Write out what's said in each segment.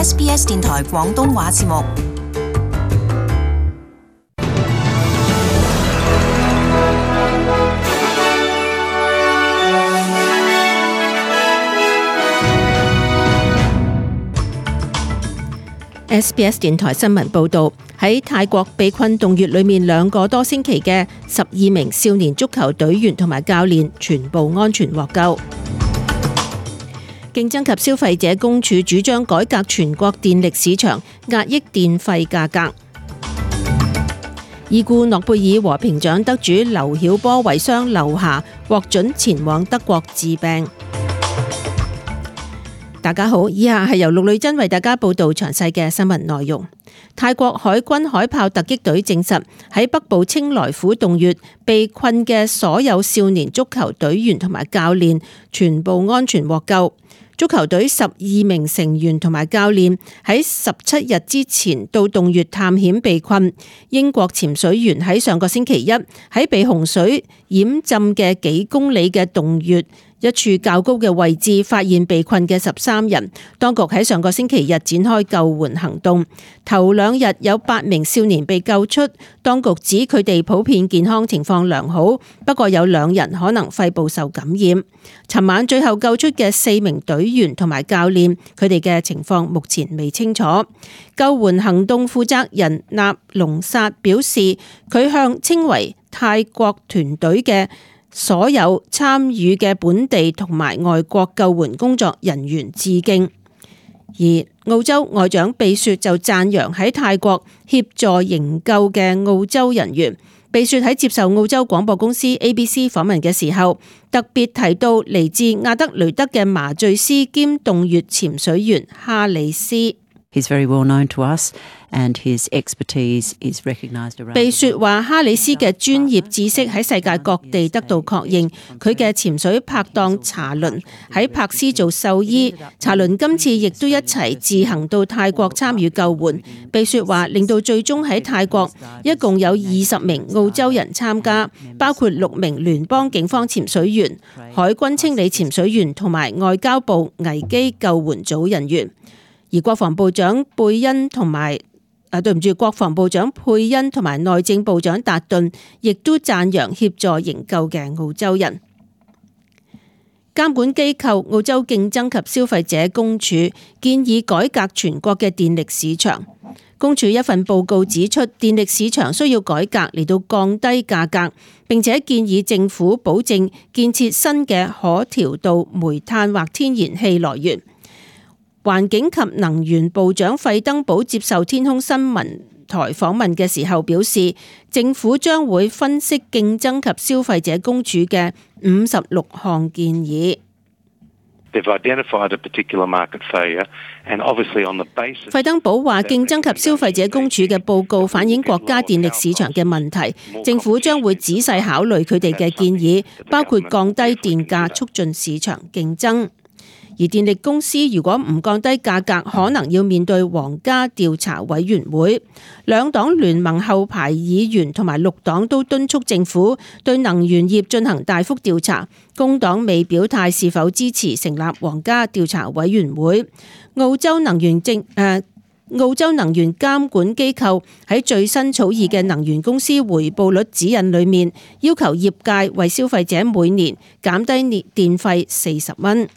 SBS 電台廣東話節目。SBS 電台新聞報導，喺泰國被困洞穴裏面2個多星期嘅12名少年足球隊員同埋教練全部安全獲救。競爭及消費者公署主張改革全國電力市場，壓抑電費價格。已故諾貝爾和平獎得主劉曉波遺孀劉霞獲准前往德國治病。大家好，以下係由陸女真為大家報道詳細嘅新聞內容。泰國海軍海豹突擊隊證實，喺北部清萊府洞穴被困嘅所有少年足球隊員同埋教練全部安全獲救。足球隊12名成員同埋教練喺17日之前到洞穴探險被困。英國潛水員喺上個星期一喺被洪水淹浸嘅幾公里嘅洞穴一處較高嘅位置發現被困嘅13人，當局喺上個星期日展開救援行動。頭2日有8名少年被救出，當局指佢哋普遍健康情況良好，不過有2人可能肺部受感染。尋晚最後救出嘅4名隊員同埋教練，佢哋嘅情況目前未清楚。救援行動負責人納隆薩表示，佢向稱為泰國團隊嘅所有參與嘅本地同埋外國救援工作人員致敬，而澳洲外長貝雪就讚揚喺泰國協助營救嘅澳洲人員。貝雪喺接受澳洲廣播公司 ABC 訪問嘅時候，特別提到嚟自亞德雷德嘅麻醉師兼洞穴潛水員哈里斯。He's very well known to us, and his expertise is recognized around. 貝雪話：哈里斯嘅專業知識喺世界各地得到確認。佢嘅潛水拍檔查倫喺柏斯做獸醫，查倫今次亦都一齊自行到泰國參與救援。貝雪話：令到最終喺泰國一共有20名澳洲人參加，包括6名聯邦警方潛水員、海軍清理潛水員同埋外交部危機救援組人員。而國防部長貝恩同埋國防部長佩恩同埋內政部長達頓亦都讚揚協助營救嘅澳洲人。監管機構澳洲競爭及消費者公署建議改革全國嘅電力市場。公署一份報告指出，電力市場需要改革嚟到降低價格，並且建議政府保證建設新嘅可調度煤炭或天然氣來源。環境及能源部長費登堡接受天空新聞台訪問嘅時候表示，政府將會分析競爭及消費者公署嘅56項建議。費登堡話，競爭及消費者公署嘅報告反映國家電力市場嘅問題，政府將會仔細考慮佢哋嘅建議，包括降低電價，促進市場競爭。而電力公司如果唔降低價格，可能要面對皇家調查委員會。兩黨聯盟後排議員同埋綠黨都敦促政府對能源業進行大幅調查。工黨未表態是否支持成立皇家調查委員會。澳洲能源監管機構喺最新草擬嘅能源公司回報率指引裏面，要求業界為消費者每年減低電費40蚊。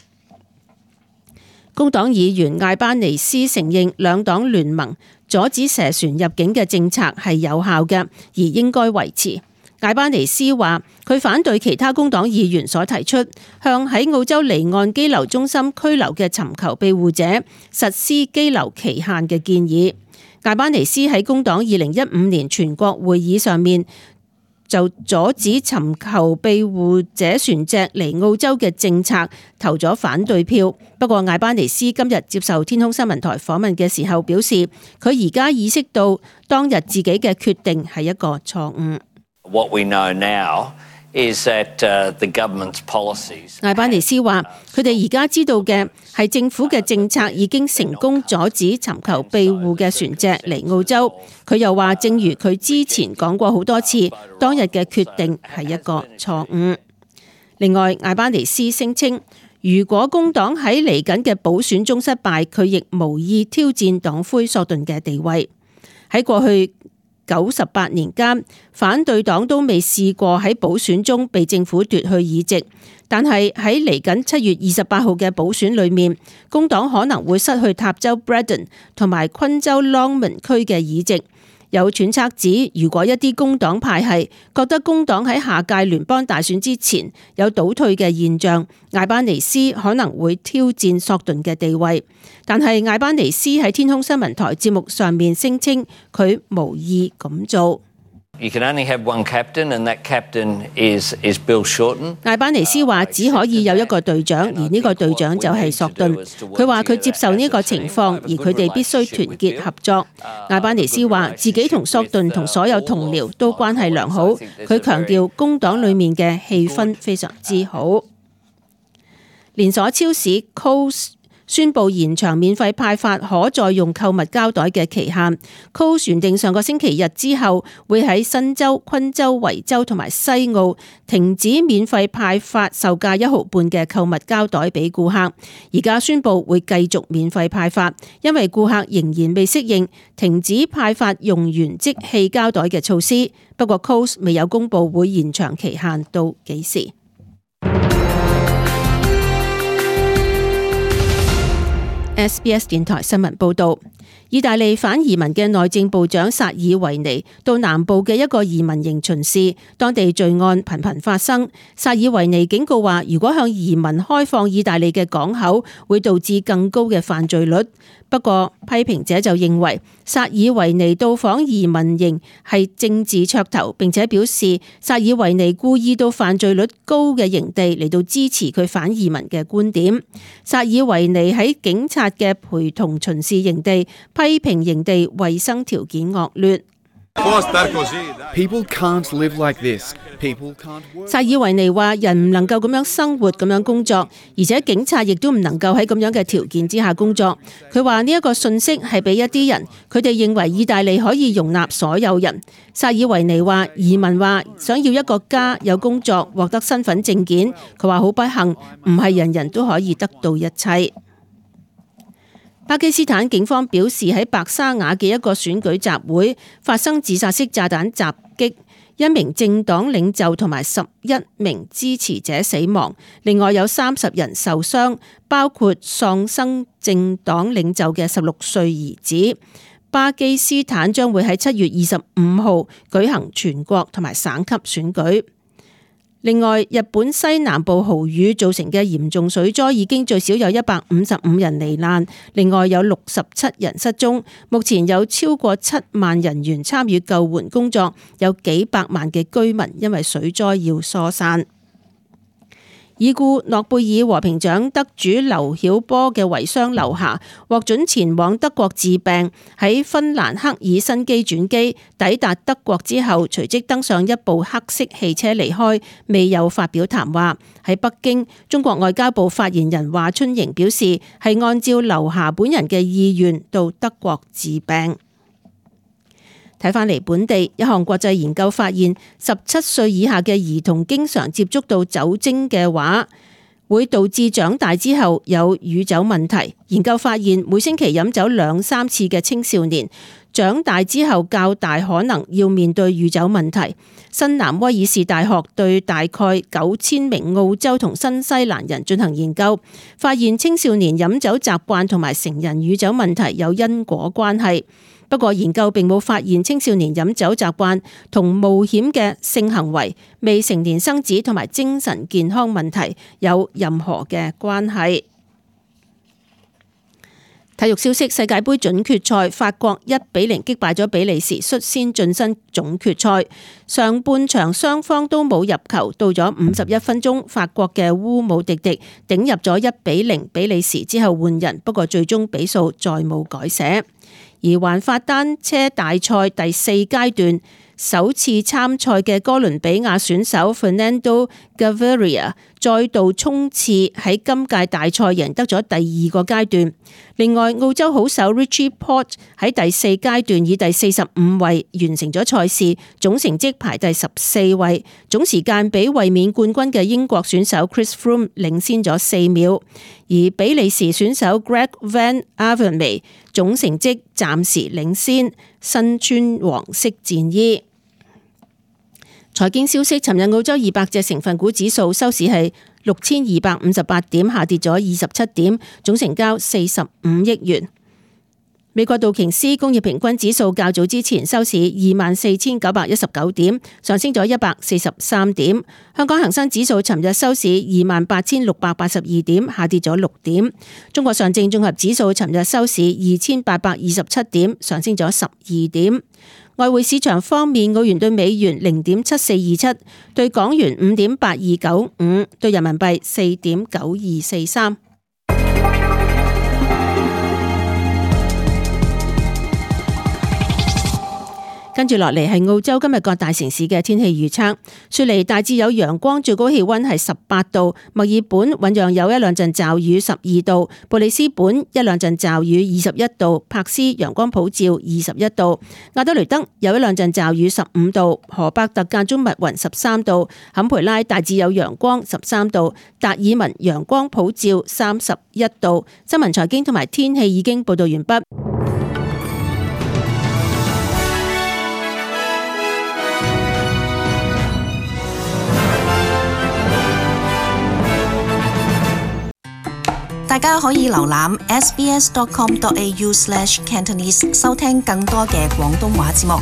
工黨議員艾班尼斯承認兩黨聯盟阻止蛇船入境嘅政策係有效嘅，而應該維持。艾班尼斯話：佢反對其他工黨議員所提出向喺澳洲離岸羈留中心拘留嘅尋求庇護者實施羈留期限嘅建議。艾班尼斯喺工黨2015年全國會議上面就阻止尋求庇護者船隻嚟澳洲嘅政策投咗反對票。不過艾班尼斯今日接受天空新聞台訪問嘅時候表示，佢而家意識到當日自己嘅決定係一個錯誤。What we know now is that the government's policies. 艾班尼斯話：佢哋而家知道嘅係政府嘅政策已經成功阻止尋求庇護嘅船隻嚟澳洲。佢又話，正如佢之前講過好多次，當日嘅決定係一個錯誤。另外，艾班尼斯聲稱，如果工黨喺嚟緊嘅補選中失敗，佢亦無意挑戰黨魁索頓嘅地位。喺過去98年間，反對黨都未試過喺補選中被政府奪去議席，但係喺嚟緊7月28號嘅補選裏面，工黨可能會失去塔州 Brandon 同埋昆州 Longmont 區嘅議席。有揣測指，如果一啲工黨派系覺得工黨喺下屆聯邦大選之前有倒退嘅現象，艾班尼斯可能會挑戰索頓嘅地位。但係艾班尼斯喺天空新聞台節目上面聲稱佢無意咁做。You can only have one captain, and that captain is Bill Shorten. 艾班尼斯話只可以有一個隊長，而呢個隊長就係索頓。佢話佢接受呢個情況，而佢哋必須團結合作。艾班尼斯話自己同索頓同所有同僚都關係良好。佢強調工黨裡面嘅氣氛非常之好。連鎖超市 Coles宣布延長免費派發可再用購物膠袋嘅期限。Coles 原定上個星期日之後會喺新州、昆州、維州同埋西澳停止免費派發售價1毫半嘅購物膠袋俾顧客，而家宣布會繼續免費派發，因為顧客仍然未適應停止派發用完即棄膠袋嘅措施。不過 Coles 未有公布會延長期限到幾時。SBS 電台新聞報導，意大利反移民嘅內政部長薩爾維尼到南部嘅一個移民營巡視，當地罪案頻頻發生。薩爾維尼警告話，如果向移民開放意大利嘅港口，會導致更高嘅犯罪率。不過，批評者就認為薩爾維尼到訪移民營係政治噱頭，並且表示薩爾維尼故意到犯罪率高嘅營地嚟到支持佢反移民嘅觀點。薩爾維尼喺警察嘅陪同巡視營地，批評營地衛生條件惡劣。People can't live like this. People can't work. 薩爾維尼話：人唔能夠咁樣生活、咁樣工作，而且警察亦都唔能夠喺咁樣嘅條件之下工作。佢話呢一個訊息係俾一啲人，佢哋認為意大利可以容納所有人。薩爾維尼話：移民話想要一個家、有工作、獲得身份證件。佢話好不幸，唔係人人都可以得到一切。巴基斯坦警方表示，喺白沙瓦嘅一個選舉集會發生自殺式炸彈襲擊，1名政黨領袖同埋11名支持者死亡，另外有30人受傷，包括喪生政黨領袖嘅16歲兒子。巴基斯坦將會喺7月25號舉行全國同埋省級選舉。另外，日本西南部豪雨造成嘅嚴重水災已經最少有155人罹難，另外有67人失蹤。目前有超過7萬人員參與救援工作，有幾百萬嘅居民因為水災要疏散。已故諾貝爾和平獎得主劉曉波嘅遺孀劉霞獲准前往德國治病，喺芬蘭赫爾辛基轉機，抵達德國之後隨即登上一部黑色汽車離開，未有發表談話。喺北京，中國外交部發言人華春瑩表示，係按照劉霞本人嘅意願到德國治病。睇返嚟本地，一項國際研究發現，17歲以下嘅兒童經常接觸到酒精嘅話，會導致長大之後有酗酒問題。研究發現，每星期飲酒2-3次嘅青少年，長大之後較大可能要面對酗酒問題。新南威爾士大學對大概9000名澳洲同新西蘭人進行研究，發現青少年飲酒習慣同埋成人酗酒問題有因果關係。不過研究並冇發現青少年飲酒習慣同冒險嘅性行為、未成年生子同埋精神健康問題有任何嘅關係。體育消息：世界盃準決賽，法國1-0擊敗咗比利時，率先晉身總決賽。上半場雙方都冇入球，到咗51分鐘，法國嘅烏姆迪迪頂入咗1-0比利時之後換人，不過最終比數再冇改寫。而環法單車大賽第4階段，首次參賽嘅哥倫比亞選手 Fernando Gaviria 再度衝刺喺今屆大賽贏得咗第二個階段。另外，澳洲好手 Richie Porte 喺第四階段以第45位完成咗賽事，總成績排第14位，總時間比衛冕冠軍嘅英國選手 Chris Froome 領先咗4秒，而比利時選手 Greg Van Avermaet 總成績暫時領先，身穿黃色戰衣。財經消息，尋日澳洲200隻成分股指數收市係6258點，下跌咗27點，總成交45億元。美國道瓊斯工業平均指數較早之前收市24,919點，上升咗143點。香港恒生指數尋日收市28,682點，下跌咗6點。中國上證綜合指數尋日收市2,827點，上升咗12點。外匯市場方面，澳元對美元0.7427，對港元5.8295，對人民幣4.9243。跟住落嚟係澳洲今日各大城市嘅天氣預測。雪梨大致有陽光，最高氣溫係18度；墨爾本醞釀有一兩陣驟雨12度；布里斯本一兩陣驟雨21度；柏斯陽光普照21度；亞德雷德有一兩陣驟雨15度；荷伯特間中密雲13度；坎培拉大致有陽光13度；達爾文陽光普照31度。新聞財經同埋天氣已經報道完畢。大家可以瀏覽 sbs.com.au/cantonese 收聽更多嘅廣東話節目。